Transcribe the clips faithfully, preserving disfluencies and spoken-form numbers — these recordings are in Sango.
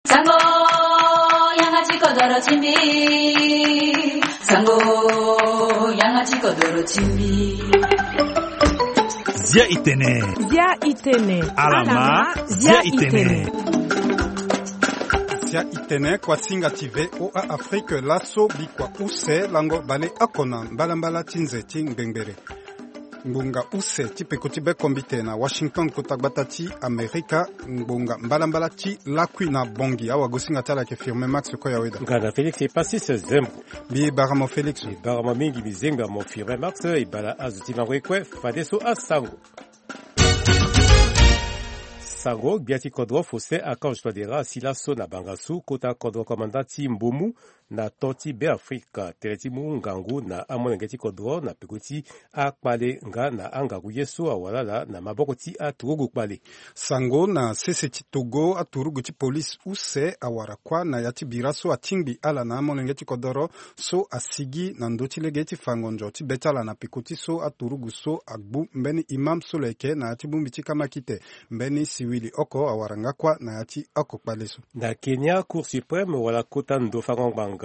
Sango, yanga ti kodoro ti mbi. Sango, yanga ti kodoro ti mbi. Zia itene. Zia itene. Alama, zia itene. Zia itene, kuasinga ti V O A Afrique, laso bikua use lango baleoko na mbalambala ti nze ti ngbengberé. Ngbonga use ti peko ti bekombite na Washington, kota gbata ti Amerika, ngbonga mbalambala ti lakui na Bangui. Awagosinga ti ala ayeke Firmin Max Koyaweda. Nga na Félix Epasis Zembo. Mbi bara mo Félix. Mbi bara mo mingi, mbi zengba mo Firmin Max, e bara azo ti lango ye kue, fadeso asango. Sango, gbia ti kodro Faustin Archange Touadéra asi laso na bangasu kota kodro komanda ti Mbomu na to ti Beafrika, tënë ti mu ngangu na amolenge ti kodro na peko ti akpale nga na angangu ye so awara ala na maboko ti aturugu kpale. Sango, na sese ti Togo, aturugu ti polise use awara kuâ na ya ti bira so atingbi ala na amolenge ti kodoro so asigi na ndö ti lege ti fango nzo ti be ti ala na peko ti so aturugu so agbu mbeni imam so lo yeke na ya ti bongbi ti kamakite. Mbeni siwili oko awara nga kuâ na ya ti oko kpale so. Na Kenya, Cour suprême wala kota ndo fango ngbanga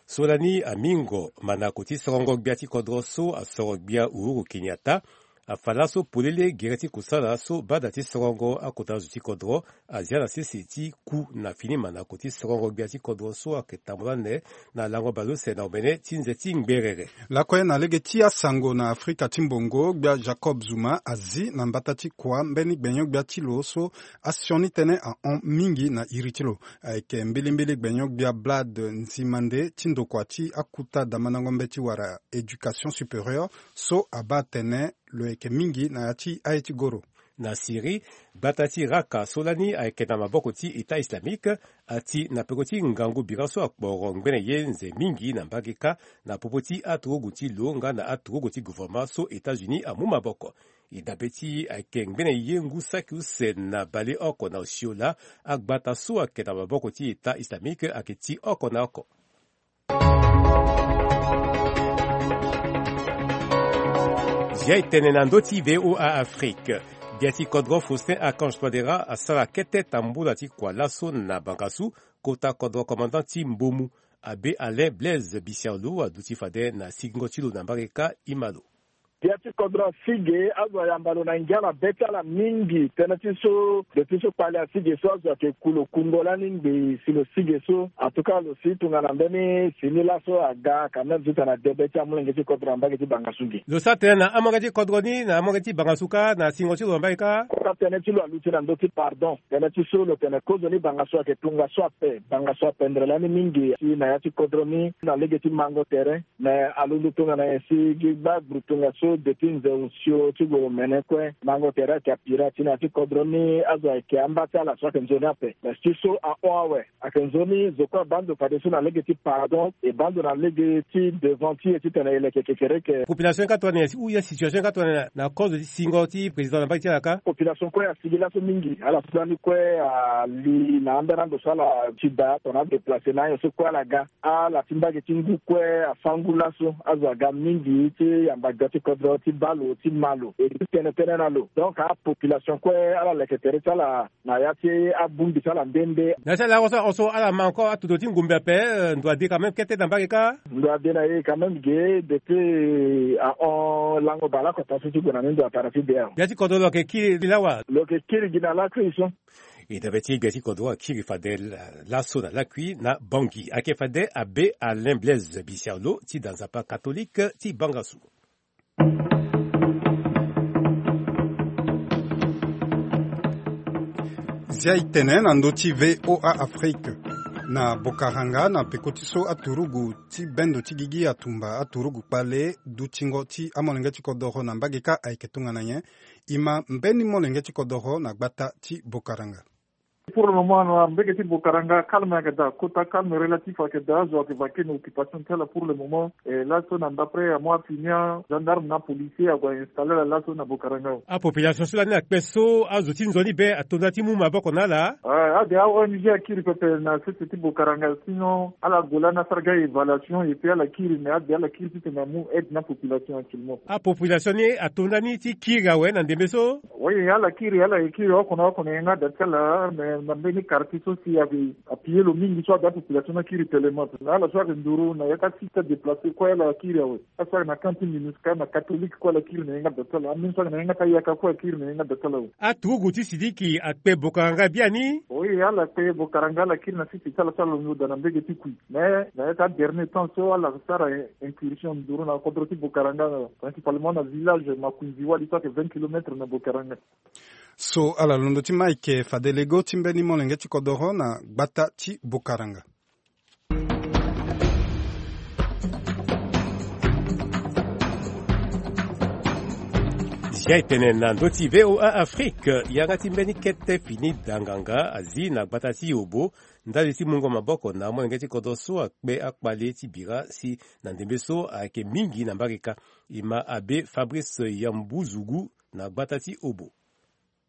so lani amingo manako ti sorongo gbia ti kodro so asoro gbia Uhuru Kenyatta afa laso polele gere ti kusala so bada ti sorongo akota zo ti kodro azia na sese ti ku na fini manako ti sorongo gbia ti kodro so ayeke tambula ande na lango baleuse na omene ti nze ti ngberere. Lakue na lege ti asango na Afrika ti mbongo, gbia Jacob Zuma azi na mbata ti kua mbeni gbenyo-gbia ti lo so asioni tënë ahon mingi na iri ti lo. Ayeke mbilimbili gbenyo-gbia Blad Nzimande ti ndokua ti akuta damandango mbeti wala éducation supérieure so abaa atene lo yeke mingi na ya ti aye ti goro. Na Syrie, gbata ti Raqqa so lani ayeke na maboko ti État islamique ati na peko ti ngangu bira so akporo ngbene ye nze mingi na mbage kâ na popo ti aturugu ti lo nga na aturugu ti gouvernement so États-Unis amu maboko. E dabe ti ayeke ngbene ye ngu saki use na baleoko na osio laa agbata so ayeke na maboko ti État islamique ayeke ti oko na oko. Zia e tene na ndö ti V O A Afrique. Gbia ti kodro Faustin Archange Touadéra asara kete tambula ti kua laso na bangasu kota kodro commandant ti Mbomu. Abbé Alain Blaise Bissiaolo aduti fade na sigingo ti lo na mbage kâ, ima lo. Gbia ti kodro asi ge, azo ayamba lo na ngia na be ti ala mingi. Tënë ti so, depuis so kpale asi ge so azo ayeke ku lo kungo lani ngbii si lo si ge so. En tout cas, lo si tongana mbeni si ni laso aga quand même ti tana de be ti amolenge ti kodro na mbage ti bangasu ge. Lo sara tënë na amolenge ti kodro ni na amolenge ti bangasu kâ na singo ti lo na mbage kâ. Kota tënë ti lo aluti na ndö ti pardon. Tënë ti so lo tene kozo ni bangasu ayeke tongaso ape. Bangasu apendre lani mingi si na ya ti kodro ni na lege ti mango tere. Me alondo tongana nyen si gi gba gburu tongaso depuis nze osio ti gue omene kue. Mango tere ayeke apira ti na ya ti kodro ni azo ayeke amba ti ala so ayeke nzoni ape. Me si so ahon awe. Ayeke nzoni zo kue abaa ndo fadeso na lege ti pardon, e baa ndo na lege ti devant ti e titene e leke kekereke. Population ni kâ tongana nyen, ou ye situation ni kâ tongana nyen na kozo ti singo ti président na mbage ti ala kâ? Population kue asigi laso mingi, ala so lani kue ali na ambeni ando so ala ti daa tongana adeplace na anyo so kue ala ga. Ala ti mbage ti ngu kue afa ngu laso, azo aga mingi ti yamba gbia ti kodro ti baa lo ti ma lo e ti tene tënë na lo. Donc apopulation kue ala leke tere ti ala na ya ti abongbi ti ala nde nde. Na ya ti ala so, so ala ma encore atuto ti ngombe ape, eh, ndo ade quand même kete na mbage kâ? Ndo ade na e quand même ge depuis ahon lango baleoko taa so ti gue na ni ndo atara ti de awe. Gbia ti kodro lo yeke kiri lawa? Lo yeke kiri gi na lakui so. E dabe ti gbia ti kodro akiri fade la-, laso na lakui na Bangui. Ayeke fade Abbé Alain Blaise Bissiaolo ti da nzapa catholique ti bangasu. Zia e tene na ndö ti V O A Afrique. Na Bokaranga, na peko ti so aturugu ti bendo ti gigi atumba aturugu kpale, dutingo ti amolenge ti kodoro na mbage kâ ayeke tongana nyen? E ma mbeni molenge ti kodoro na gbata ti Bokaranga. Pour le moment, na mbage ti Bokaranga, calme ayeke daa, kota calme relatif ayeke daa, azo ayeke vaquer na occupation ti ala pour le moment. E laso na d'après amu afinia, gendarme na policier ague a installer ala laso na Bokaranga. Apopulation so lani akpe so azo ti nzoni be ato nda ti mu maboko na ala? Eh, ade a-O N G akiri pepe na sese ti Bokaranga, sinon ala gue lani asara ga évaluation et puis ala kiri, mais ade ala kiri titene amu aide na population actuellement. Apopulation ni ato nda ni ti kiri awe na ndembe so? Oui, ala kiri, ala ye kiri oko na oko na yanga da ti ala, mais Na mbeni quartier so si ayeke appuyer lo mingi so ada population ni akiri tellement. Na ala so ayeke nduru na ya ka site déplacer kue ala akiri awe. Asara na camp minusca na catholique kue ala kiri na ye nga da ti ala, ameni so ayeke na ye nga ti ayaka kue akiri na ye nga da ti ala awe. Aturugu ti Sidiki akpe bokaranga biani. Oui, ala kpe bokaranga ala kiri na site ti ala so ala londo daa na mbege ti kui. Mais na ya ti adernier temps so ala sara incursion nduru na kodro ti bokaranga, principalement na village Makunzi Wali so ayeke vingt kilomètres na bokaranga. So ala londo ti ma ayeke fade lego ti mbeni molenge ti kodoro na gbata ti bokaranga. Zia e tene na ndö ti VOA Afrique, yanga ti mbeni kete fini da nganga azi na gbata ti Obo ndali ti mungo maboko na amolenge ti kodro so akpe akpale ti bira si na ndembe so ayeke mingi na mbage kâ. E ma abe Fabrice Yambuzugu na gbata ti Obo.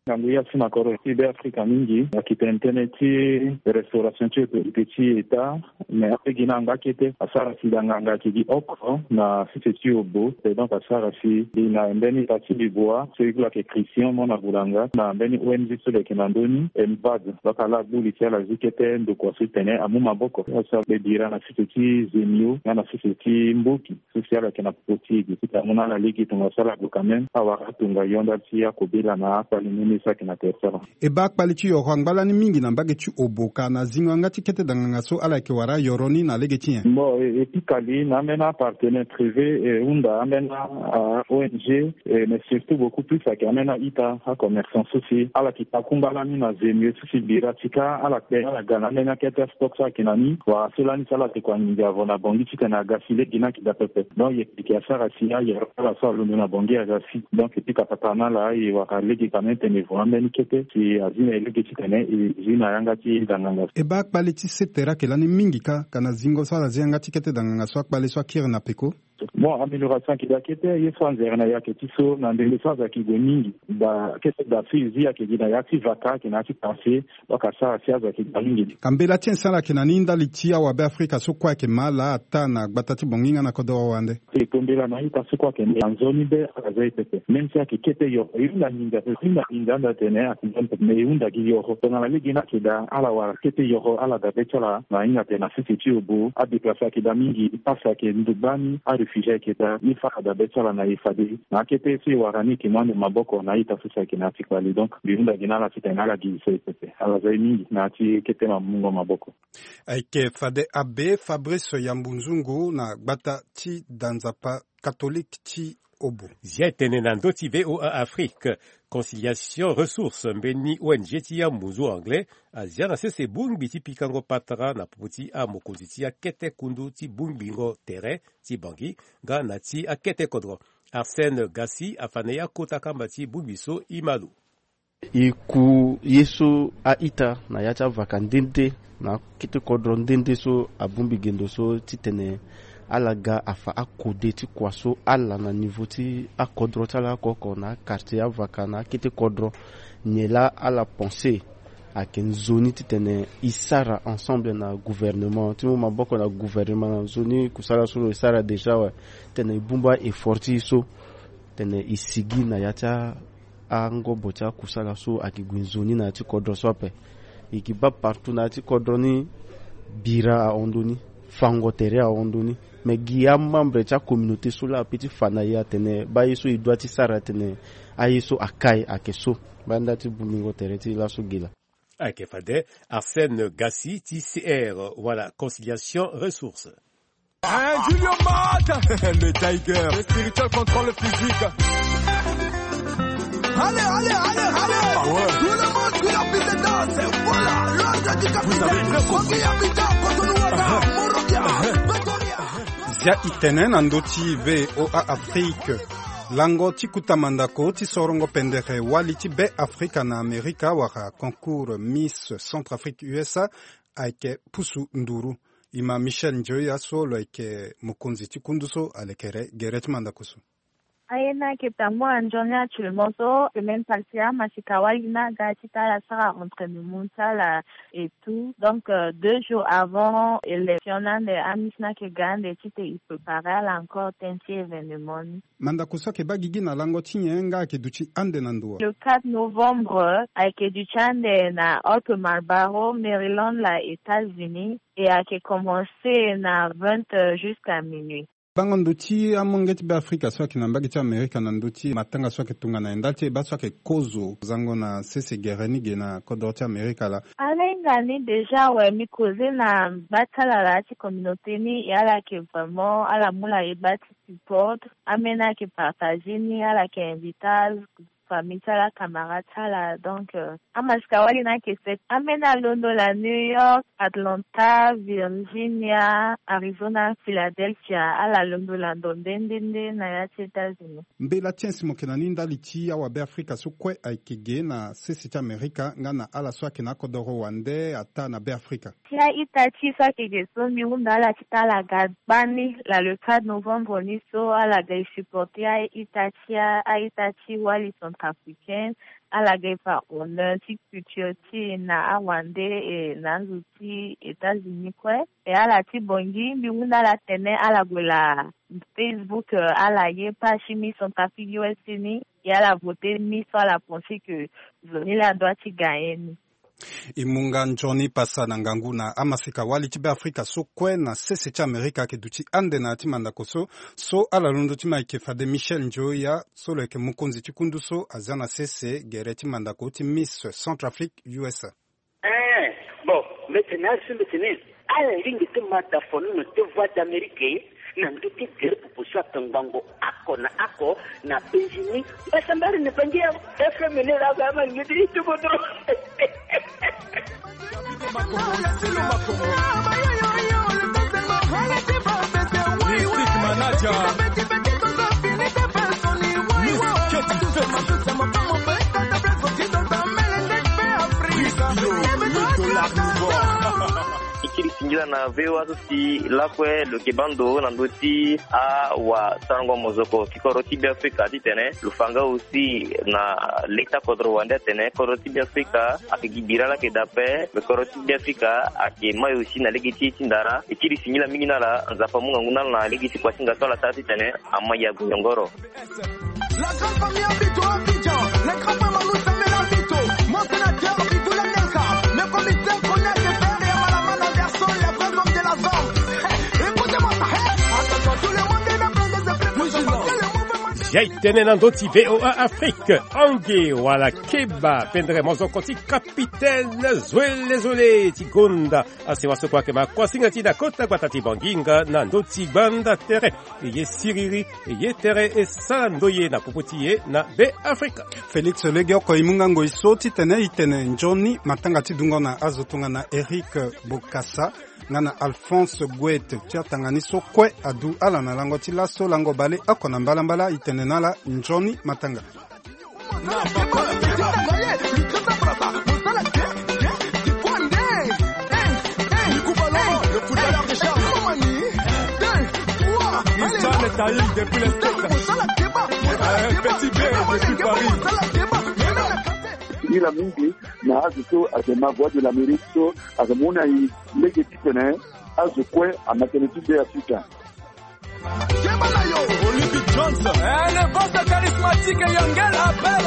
Ngangu ya si na kodro ti Be Afrika mingi ayeke tene tënë ti restauration ti autorité ti État. Mais ape gi na yanga kete asara si da nganga ayeke gi oko na site ti Obo. Et donc asara si gi na mbeni parti du bois so e kula ayeke Christian Mona Bulanga na mbeni O N G so lo yeke na ndö ni, Embad. Donc ala gbu li si ala zi kete ndokua so ti tene amu maboko asara kpe bira na site ti Zemio nga na site ti Mboki. So si ala yeke na popo ti e gi ti tene amu na ala lege tongaso ala gue quand même awara atongayo ndali ti akobela na akpale ni ni so ayeke na tere ti ala. E baa akpale ti yoro angba lani mingi na mbage ti Obo ka na zingo yanga ti kete da nganga so ala yeke wara ayoro ni na lege ti nyen? Bon, e, e pika li na ambeni apartenaire privé, e hunda ambeni a-O N G, e, mais surtout beaucoup plus ayeke ambeni a-ita, acommerçant so si ala yeke takungba lani na Zemio so si bira ti kâ ala kpe ala ga na ambeni akete astock so ayeke na ni wala so lani so ala yeke kua nginza vo na Bangui ti tene aga si lege ni ayeke daa pepe. Donc e yeke asara si ayoro ti ala so alondo na Bangui aga si. Donc e pika patara na ala e wara lege quand même tene e vo ambeni kete si azi na e lege ti tene e zi na yanga ti da nganga. E baa akpale ti se tere ayeke lani mingi kâ ka na zingo so ala zi yanga ti kete da nganga so akpale so akiri na peko? Bon, amélioration ayeke daa kete, ye so anzere na e ayeke ti so na ndembe so azo ayeke gue mingi. Da kete da so e zi ayeke gi na ya ti vaka ayeke na ya ti quartier. Donc asara si azo ayeke daa mingi. Ka mbela ti nyen so ala yeke na ni ndali ti awabe Afrika so kue ayeke ma ala ataa na gbata ti Bangui nga na kodoro wande? E to mbela na a-ita so kue ayeke na nzoni be ala za e pepe. Même si ayeke kete yoro e hunda nginza pepe, e hunda nginza anda tene ayeke nzoni pepe, mais e hunda gi yoro tongana lege ni ayeke daa ala wara kete yoro ala dabe ti ala na hinga tene na sese ti Obo. Adéplacé ayeke daa mingi, pasi ayeke ndo gbani, aréfugié ayeke daa, ni fa ala dabe ti ala na e fade. Na akete so e wara ni e yeke mu ande maboko na a-ita so si ayeke na ya ti kpale. Donc mbi hunda gi na ala titene ala gi so e pepe, ala za e mingi na ya ti kete na mungo maboko. Ayeke fade abe Fabrice Yambunzungu na gbata ti da nzapa katolike ti Obo. Zia e tene na ndö ti VOA Afrique, Conciliation Ressources, mbeni O N G ti amunzu anglais, azia na sese bongbi ti pikango patara na popo ti amokonzi ti akete kundu ti bongbingo tere ti Bangui nga na ti akete kodro. Arsène Gassi afa na e akota kamba ti bongbi so e ma lo. E ku ye so a-ita na ya ti avaka nde nde na akete kodro nde nde so abongbi gendo so titene ala ga afa akode ti kua so ala na niveau ti akodro ti ala oko oko na akartier avaka na akete kodro. Nyen laa ala pense ayeke nzoni titene e sara ensemble na gouvernement, ti mu maboko na gouvernement na nzoni kusala so lo e sara déjà awe, titene e bongbi a-effort ti e so titene e sigi na ya ti a angobo ti akusala so ayeke gue nzoni na ya ti kodro so ape. E yeke baa partout na ya ti kodro ni, bira ahon ndoni, fango tere ahon ndoni. Me gi amembre ti acommunauté so laa ape ti fa na e atene baa ye so e doit ti sara atene aye so akai ayeke so. Baa nda ti bongbingo tere ti e laso gi laa. Ayeke fade Arsène Gassi ti C R wala Conciliation Ressources. Hein, Julio Mata, le Tiger, le spirituel contrôle physique. Allez, allez, allez, allez. Ah ouais. Tout le monde qui a envie de danser. Voilà, l'ordre du capitaine. Vous avez le Kogi Abidjan, Cotonou, Ouattara, Monrovia, Pretoria. Zia e tene na ndö ti VOA Afrique. Lango ti kuta mandako ti sorongo pendere wali ti Be Afrika na Amerika wala concours Miss Centrafrique U S A ayeke pusu nduru. E ma Michel Njoya so lo yeke mokonzi ti kundu so alekere gere ti mandako so. Aye ni ayeke tango na nzoni actuellement so semaine passée amasika wali ni aga ti tala sara entraînement ti ala et tout. Donc, euh, deux jours avant élection ni ande, ami ti ni ayeke ga ande titene e préparer ala encore tënë ti événement ni. Mandako so ayeke baa gigi na lango ti nyen nga ayeke duti ande na ndo? Le quatre novembre ayeke duti ande na Haute Marlborough, Maryland, la États-Unis, et ayeke commencer na vingt heures jusqu'à minuit. Bango ndo ti amolenge ti Beafrika so ayeke na mbage ti Amerika na ndö ti matanga so ayeke tongana nyen ndali ti e baa so ayeke kozo zango na sese gere ni ge na kodro ti Amerika laa? Alenga ni déjà awe, mi koze na baa ti ala laa ti communauté ni, e ala yeke vraiment ala mu la e baa ti support. Ameni ayeke partager ni, ala yeke invite famille ti ala, camarade ti ala. Donc, euh, amasika wali ni ayeke sek. Ameni alondo la New York, Atlanta, Virginia, Arizona, Philadelphia, ala londo la ndo nde nde nde na ya ti États-Unis. Mbela ti nyen si mo yeke na ni ndali ti awabeafrika so kue ayeke ge na sese ti Amerika nga na ala so ayeke na akodoro wande ataa na Beafrika? Ti a-ita ti e so ayeke ge so, mbi hunda ala ti tara ala ga gbani la le quatre novembre ni so, ala ga e supporter a-ita ti a, a-ita ti wali centrafricain, ala ga e fa honneur ti culture ti e na awande, e na azo ti États-Unis kue. E ala ti Bangui, mbi hunda ala tene ala gue la Facebook, euh, ala ye page ti Miss Centrafrique U S A ni, e ala voter Miss so ala penser que zo ni laa adoit ti gagner ni. E mu nga nzoni pasa na ngangu na amasika wali ti Beafrika so kue na sese ti Amerika ayeke duti ande na ya ti mandako so, so ala londo ti ma ayeke fade Michel Njoya so lo yeke mokonzi ti kundu so azia na sese gere ti mandako ti Miss Centrafrique U S A. Eh, bon, mbi tene azo mbi tene ala lingbi ti ma da fonono ti Voix d'Amérique na ndö ti gere popo so atongbango oko na oko na États-Unis. Mbasambari ni Bangui awe. F M ni laa azo ama lingbi ti ti kodro. Mystique Manager. Miss Keti Feti. Miss Kilo, mille dollars nouveau. E kiri singila na V O A so si lakue lo yeke baa ndo na ndö ti awasarango mozoko ti kodro ti Beafrika titene lo fa nga aussi na leta kodro wande atene kodro ti Beafrika ayeke gi bira laa ayeke daa ape. Me kodro ti Beafrika ayeke mai aussi na lege ti e ti ndara. E kiri singila mingi na ala, Nzapa amu ngangu na ala na lege ti kuasinga so ala sara titene amai ague nyongoro. La grande famille Abito Abidjan, les grands frères Manu Samuel Abito, mon sénateur Abito Lakelka, le commissaire Konya Kefer et Amalama Anderson, les vrais hommes de la zone. Écoutez-moi ça, hey, attention, tout le monde est là, prends des effets, parce que le mouvement. Ya e tene na ndö ti V O A Afrique, ange wala keba pendere mozoko ti capitaine Zoele Zoele ti gonda asewa so kue ayeke ma kuasinga ti e na kota gbata ti Bangui nga na ndö ti gbanda tere. E ye siriri, e ye tere, e sara ndoye na popo ti e na Beafrika. Félix Legeoko e mu nga ngoi so titene e tene nzoni matanga ti dungo na azo tongana Eric Bokassa nga na Alphonse Goethe ti atanga ni so kue adu ala na lango ti laso lango baleoko na mbalambala. E tene na ala nzoni matanga. Petit B depuis Paris. Singila mingi na azo so ayeke ma Voix de l'Amérique so ayeke mu na e lege titene azo kue ama tene ti Beafrika. Olympic Jones. Eh, le boss charismatique Yangel Abel.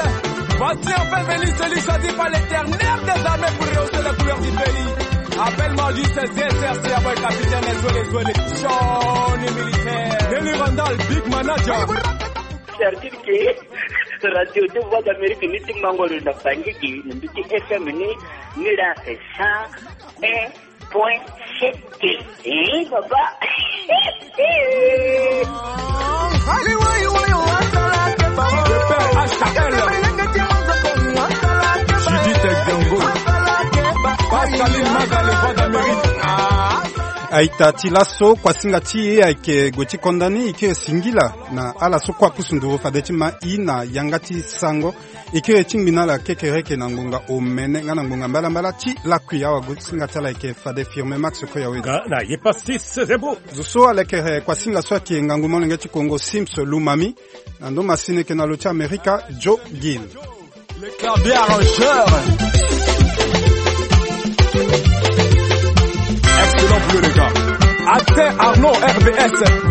Voici enfin venu celui choisi par l'Éternel des armées pour rehausser les couleurs du pays. Appelle-moi juste Z R C, ah ouais, capitaine, Zoele Zoele, Johnny militaire. Nelly Randall, big manager. C'est-à-dire que radio de Voix d'Amérique ni ti mango lo na Bangui, ni ti F M ni, ni la c'est ça. Eh, point sept. Eh, papa. Judith Diongo. Pascaline Maga, le Voix d'Amérique. Ah. Aita ti laso, kuasinga ti e ayeke gue ti konda ni. E kiri singila na ala so kue apusu nduru fade ti ma i na yanga ti sango. E kiri ti ngbi na ala kekereke na ngonga omene nga na ngonga mbalambala ti lakui. Awagosinga ti ala ayeke fade Firme Max Koyawe. Nga na Yepa Sis Zebo. Zo so alekere kuasinga so ayeke ngangu molenge ti Kongo, Sims Lumami. Na ndo masini eke na lo ti Amerika, Joe Gill. Les Clavier Arrangeurs. Excellent pour le gars. Atin Arnaud, R B S.